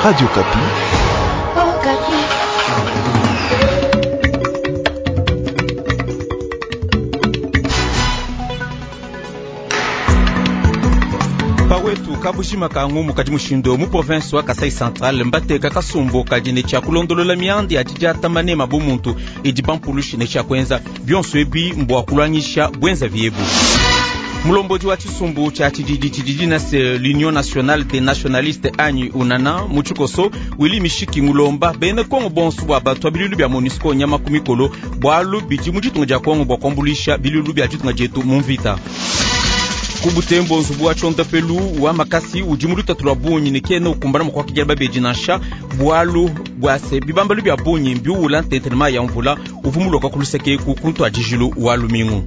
Radio Okapi. Pawetu kabushima ka ngumu kadi mushindo mu province wa Kasai Central mbateka kasumbu kadi ne tshia kulondolola mianda ya didiata manema bu muntu idi bampulushi ne tshia kuenza bionso ebi mbua kulwangisha bwenza viebu. Mulombodi wa tshisumbu tshia tshididi tshididi nase l'Union nationale des nationalistes anyi unana mu tshikoso Willy Mishiki ngulomba bena Kongo bonso bua batua bilulu bia MONUSCO nyama ku mikolo bualu bidi mu ditunga dia Kongo bua kuambuluisha bilulu bia ditunga dietu mu mvita. Ku Butembo nzubu wa tshiondapelu wa makasi udi mu lutatu lua bungi ne kena ukumbana mua kuakidila babedi nansha bualu bua se bibambalu bia bungi mbiuwula ntente ne mayi ya mvula uvua muloka ku luseke eku ku ntuadijilu wa lumingu.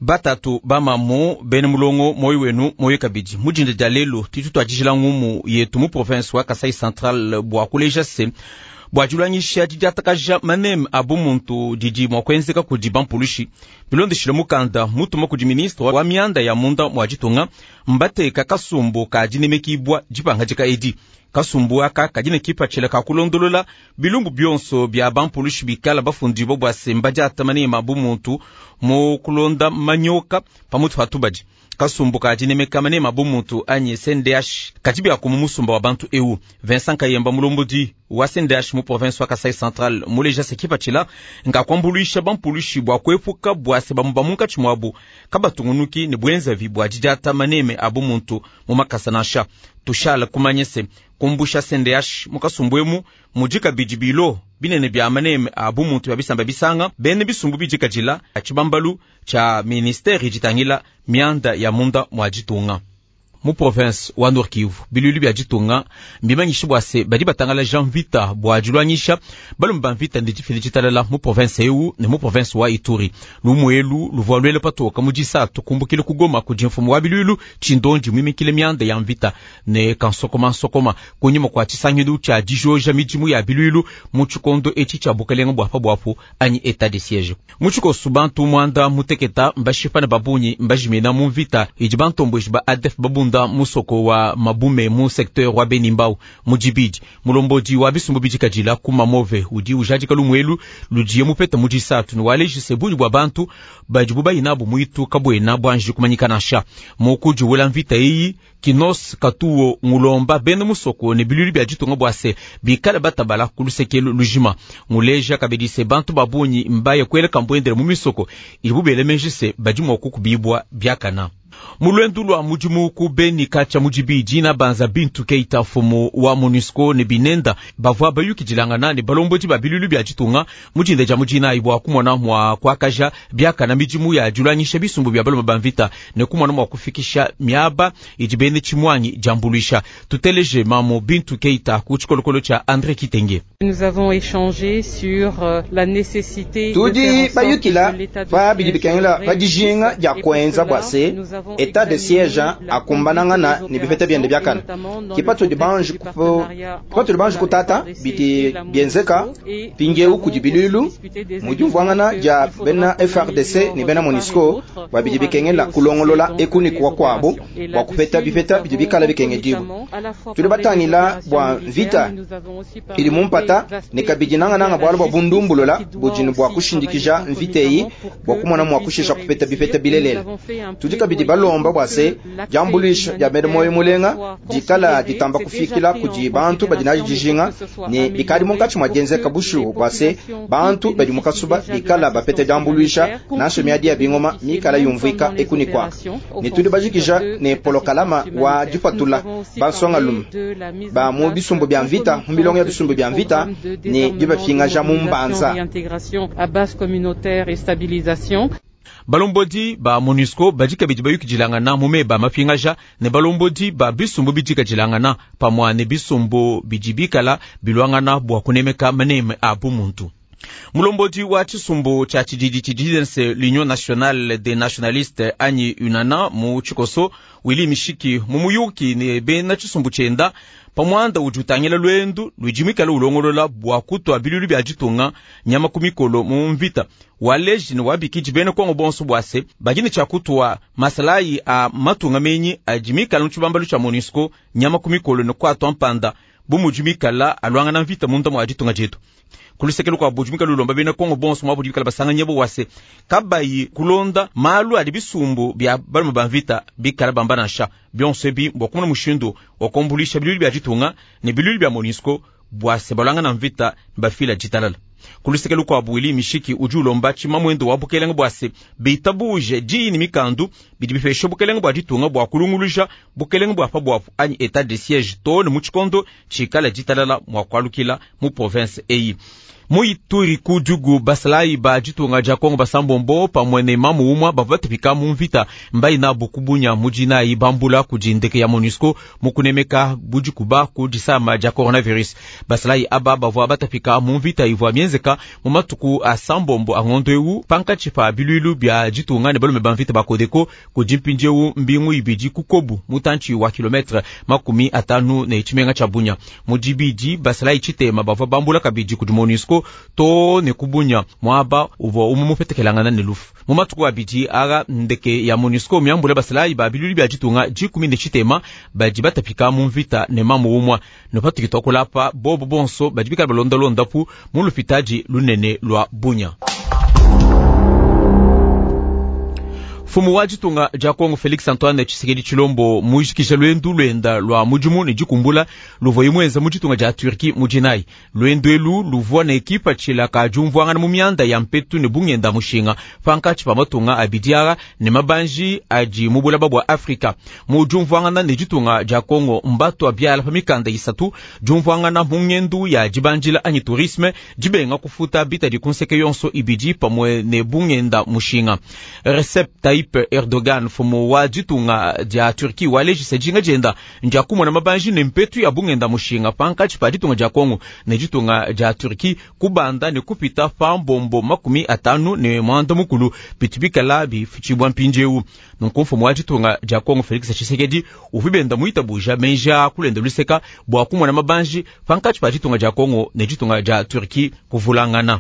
Batatu bamamu bena mulongo moyo wenu moyo kabidi mujinda dia lelu tudi tuadijila ngumu yetu mu province wa Kasai Central bua kuleja se bua dilwangisha didiatakaja maneme a bumuntu didi mua kuenzeka kudi bampulushi bilondeshile mukanda mutuma kudi ministre wa mianda ya munda mua ditunga mbateka kasumbu ka dinemekibua dipangadika edi. Kasumbu aka kadi ne kipatshila ka kulondolola bilumbu bionso bia bampulushi bikala bafundibua bua se mbadiata maneme a bumuntu mu kulonda manyoka pamutu pa tubadi. Kasumbu ka dinemeka maneme a bumuntu anyi CNDH kadi biaku mu musumba wa bantu eu. Vincent Kayemba mulombodi wa CNDH mu province wa Kasai Central muleja se kipatshila nga kuambuluisha bampulushi bua kuepuka bua se bamu ba munkatshi muabu kabatungunuki ne buenzavi bua didiata maneme a bumuntu mu makasa nansha. Tushala kumanya se kumbusha CNDH mu kasumbu emu mudi kabidi bilo binene bia maneme a bumuntu bia bisamba bisanga bene bisumbu bidikadila tshibambalu tshia ministere ditangila mianda ya munda mua ditunga. Mu province wa Nord Kivu bilulu bia ditunga mbimanyishe bua se badi batangalaja mvita bua dilwangisha balume ba mvita ne difila ditalala mu province eu ne mu province wa Ituri. Lumuelu luvua luele patoka mu disatu kumbukile ku Goma kudi mfumu wa bilulu Tshindondi muimikile mianda ya mvita ne kansokoma nsokoma kunyima kua tshisangilu tshia dijoja midimu ya bilulu mu tshikondo etshi tshia bukelenge bua pabuapu anyi etat de siège. Mu tshikoso bantu muanda muteketa mbashipa ne babunyi mbajimina mu mvita idi bantomboji ba ADF babunda musoko wa Mabume mu secteur wa Benimbau mu Dibidi. Mulombodi wa bisumbu bidikadila ku Mamove udi ujadika lumuelu ludiye mupeta mu disatu ne walejise bungi bua bantu badibu bayinabu muitu kabuena buanji kumanyika nansha. Mu kudiwula mvita eyi Kinos Katuo ngulomba bena musoko ne bilulu bia ditunga bua se bikale batabala ku lusekelu lujima. Nguleja kabidi se bantu babunyi mbaye kuela kambuendele mu misoko idibu bele se badi mua kukubibua biakana. Mulwendu lwa mudimu ku Beni katshia mu dibidi na banza Bintu Keita mfumu wa MONUSCO ne binenda bavua bayukidilangana ne balombodi ba bilulu bia ditunga mu dinda dia mudinayi bua kumona mua kuakaja biakana midimu ya dilwangisha bisumbu bia balume ba mvita ne kumona mua kufikisha miaba idi bene tshimuanyi diambuluisha. Tuteleje mamu Bintu Keita ku tshikolokolo tshia André Kitenge. Nous avons échangé sur la nécessité tudi bayukila pa bidi bikengela pa dijinga dia kuenza bua se etat de siège akumbanangana ne bipeta biende biakana kipatudi banji kutata bidi bienzeka mpindieu kudi bilulu mu diumvuangana dia bena FRDC ne bena MONUSCO bua bidi bikengela kulongolola eku ne kuakuabu bua kupeta bipeta bidi bikala bikengedibua. Tudi batangila bua mvita idi mu mpata ne kabidi nangananga bualu bua bundumbulula budi ne bua kushindikija mvita eyi bua kumona mua kushisha kupeta bipeta bilelela. Tudi kabidi balomba bua se diambuluisha dia bena moyo mulenga dikala ditamba kufikila kudi bantu badi nadi dijinga ne bikadi munkatshi mua dienzeka bushuwa bua se bantu badi mu kasuba bikala bapeta diambuluisha nansha miadi ya bingoma mikala yumvuika eku ne kuaka. Ne tudi bajikija ne polokalama wa dipatula bansongalume ba mu bisumbu bia mvita mu milongo ya bisumbu bia mvita ne dibapingaja mu mbanza. Balombodi ba MONUSCO badi kabidi bayukidilangana mu meba mapingaja ne balombodi ba bisumbu bidikadilangana pamua ne bisumbu bidi bikala bilwangana bua kunemeka maneme a bumuntu. Mulombodi wa tshisumbu tshia tshididi tshidi se l'Union nationale des nationalistes anyi UNANA mu tshikoso Willy Mishiki mu muyuki ne bena tshisumbu tshienda pamuanda udi utangila lwendu ludi muikale ulongolola bua kutua bilulu bia ditunga nyama ku mikolo mu mvita waleji ne wabikidi bena Kongo bonso bua se badi ne tshia kutua masalayi a matunga menyi adi mikale mu tshibambalu tshia MONUSCO nyama ku mikolo ne kuatua mpanda bu mudi mikala aluangana mvita munda mua ditunga dietu. Kulusekelo kwa budi mikala ulomba bena Kongo bonso mwa budi bikala basanganye bo wase kabayi kulonda malu adi bisumbu bia balume ba mvita bikala bamba nansha bionso ebi bua kumona mushindu wa kuambulisha bilulu bia ditunga ne bilulu bia MONUSCO bua se balwangana mvita bafila ditalala. Kulusekelo kwa Willy Mishiki udi ulomba tshimamwendo wa bukelenge bua se bitabuje diyi ne mikandu bidi bipesha bukelenge bua ditunga bua kulunguluja bukelenge bua pabuapu anyi etat de siège to ne mu tshikondo tshikala ditalala mua kualukila mu province eyi. Mu Ituri ku Djugu basalayi ba ditunga dia Kongo basambombo pamue ne mamu umua bavua batupika mu mvita mbayi nabu kubunya mu dinayi bambula kudi ndeke ya MONUSCO mu kunemeka budikuba ku disama dia coronavirus. Basalayi aba bavua batapika mu mvita ivua mienzeka mu matuku a sambombo a ngondo ewu pankatshi pa biluilu bia ditunga ne balume ba mvita ba Codeco kudi mpindiewu mbingu ibidi ku Kobu mutantshi wa kilometre 50 ne tshimenga tshia Bunya. Mu dibidi basalayi tshitema bavua bambula kabidi kudi MONUSCO to ne kubunya mwaba uvua umwe mupetekelangana ne lufu. Mu matuku abidi aga ndeke ya MONUSCO miambula basalayi ba bilulu bia ditunga 18 badi batapika mu mvita ne mamu umwa ne patukitwa kulapa bobo bonso badi bikala balondalondapu mu lupitadi lunene lwa Bunya. Mfumu wa ditunga dia Kongo Felix Antoine Tshisekedi Tshilombo mujikija lwendu lwenda lwa mudimu ne dikumbula luvua imwenza mu ditunga dia Turquie mu dinayi. Lwendu elu luvua ne ekipa tshilaka diumvuangana mu mianda ya mpetu ne bungenda mushinga pankatshi pa matunga abidi aa ne mabanji adi mu bulaba bua Afrika. Mu diumvuangana ne ditunga dia Kongo mbatua biala pa mikanda isatu diumvuangana mu ngendu ya dibandila anyi tourisme dibenga kufuta bitadi ku nseke yonso ibidi pamue ne bungenda mushinga. Recep Tayyip Erdogan mfumu wa ditunga dia Turquie walejisa dinga dienda ndia kumona mabanji ne mpetu ya bungenda mushinga pankatshi pa ditunga dia Kongo ne ditunga dia Turquie kubanda ne kupita pa mbombo 58 bitu bikala bifutshibua mpindiewu. Nunku mfumu wa ditunga dia Kongo Felix Tshisekedi uvua benda muitabuja menja kulenda luseka bua kumona mabanji pankatshi pa ditunga dia Kongo ne ditunga dia Turquie kuvulangana.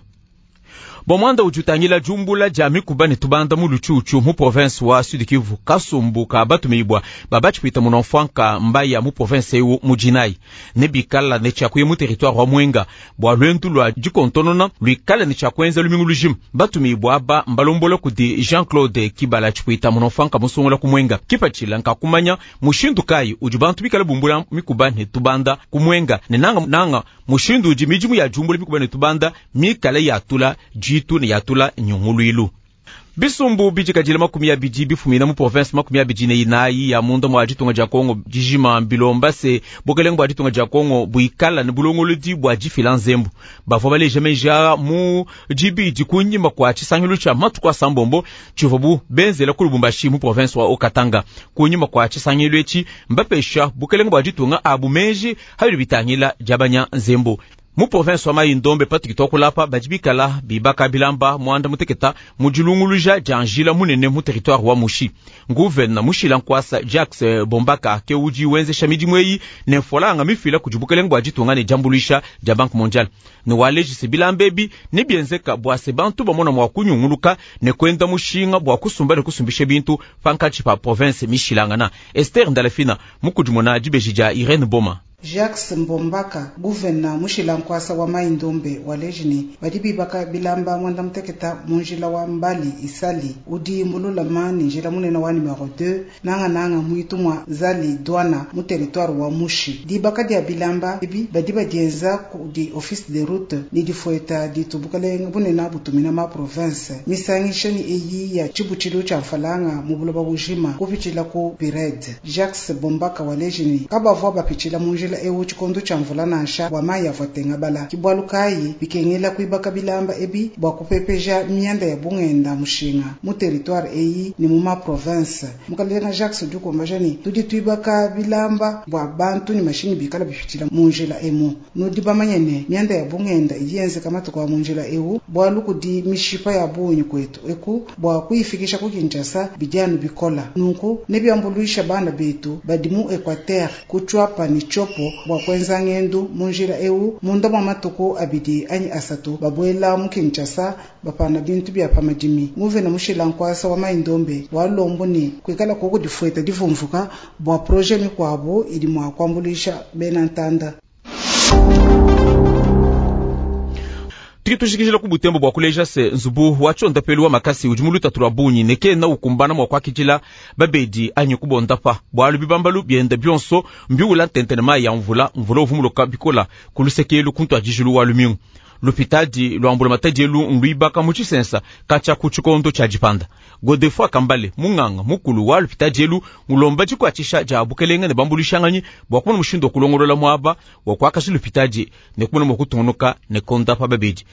Bomwanda udi utangila jumbula dia mikuba ne tubanda mu lutshutshu mu province wa Sud Kivu kasumbu ka batumibwa babatshipita munomfwanka mbaya mu province ewu mu dinayi ne bikala ne tshiakuya mu territoire wa Mwenga bua lwendu lua dikontonona luikala ne tshiakuenza lumingu lujima. Batumibwa aba mbalombola kudi Jean-Claude Kibala tshipita munomfwanka musungula ku Mwenga kipatshila nkakumanya mushindu kayi udi bantu bikala bumbula mikuba ne tubanda ku Mwenga ne nanga nanga mushindu udi midimu ya jumbula mikuba ne tubanda mikala yatula jitu ne yatula nyunguluilu. Bisumbu bidikadile 20 bifumina mu province 24 ya munda mwa ditunga dia Kongo dijima mbilomba se bukelenge bua ditunga dia Kongo buikala ne bulongolodi bua difila nzembu. Bavua baleja meji mu dibidi kunyima kua tshisangilu tshia matuku a sambombo tshivua bu benzela ku Lubumbashi mu province wa Haut-Katanga. Kunyima kua tshisangilu etshi mbapesha bukelenge bua ditunga abu meji habidi bitangila diabanya nzembu. Mu province wa Mai-Ndombe Patrick Tokulapa badi bikala bibaka bilamba mwanda muteketa mu dilunguluja dia njila munene mu territoire wa Mushi. Nguvena Mushila Nkwasa Jacques Bombaka ke udi wenzesha midimu eyi ne mfolanga mifila kudi bukelenge bua ditunga ne diambuluisha dia Banque Mondiale. Ne walejise bilamba ebi ne bienzeka bua se bantu bamona mua kunyunguluka ne kwenda mushinga bua kusumba ne kusumbisha bintu pankatshi pa province mishilangana. Esther Ndalafina mukudimuna dibeji dia Irene Boma. Jacques Mbombaka guvena Mushila Nkwasa wa Mai-Ndombe waleji badi bibaka bilamba mwanda muteketa mu njila wa mbali isali udi mululama ni njila munene wa numero 2 nanga nanga muitu mwa zali douana mu territoire wa Mushi. Dibaka dia bilamba ebi badi badienza kudi office de route ni difueta ditubukalenga bunena butumina ma province misangisha ni eyi ya tshibutshilu tshia mfalanga mu buloba bujima kupitshila ku Pired. Jacques Bombaka waleji ni kabavua bapitshila mu njila njila ewu tshikondo tshia mvula nansha bua mayi avua atengabala. Ki bualu kayi bikengela kuibaka bilamba ebi bua kupepeja mianda ya bungenda mushinga mu territoire eyi ne mu ma province. Mukalenga Jacques udi ukumbaja ne tudi tuibaka bilamba bua bantu ne mashinyi bikala bipitshila mu njila emu. Nudi bamanye ne mianda ya bungenda idi yenzeka matuku a mu njila ewu bualu kudi mishipa ya bungi kwetu eku bua kuyifikisha ku Kinshasa bidi anu bikola. Nunku nebiambuluisha bana betu badi mu Equateur ku Tshuapa ne Tshopo bua kuenza ngendu mu njila ewu munda mua matuku abidi anyi asatu babuela mu Kinshasa bapana bintu bia pa madimi. Nguvena mushila nkuasa wa Mai-Ndombe wa lombo ne kuikala koku difueta divumvuka bua projet mikuabu idi mua kuambuluisha bena ntanda. Tudi tujikijila ku Butembo bua kuleja se nzubu wa tshondapelu wa makasi udi mu lutatu lua bungi ne kena ukumbana mua kuakidila babedi anyi kubondapa, bualu bibambalu bienda bionso mbiwula ntente ne mayi ya mvula. Mvula uvua muloka bikola ku lusekelu ku ntuadijilu wa lumingu. Lupitadi lua mbulamatadi elu nluibaka mu tshisensa katshia ku tshikondo tshia dipanda. Godefroid Kambale, munganga mukulu wa lupitadi elu, ulomba dikuatshisha dia bukelenge ne bambuluishanganyi bua kumona mushindu wa kulongolola muaba wa kuakaja lupitadi ne kumona mua kutungunuka ne kondapa babedi.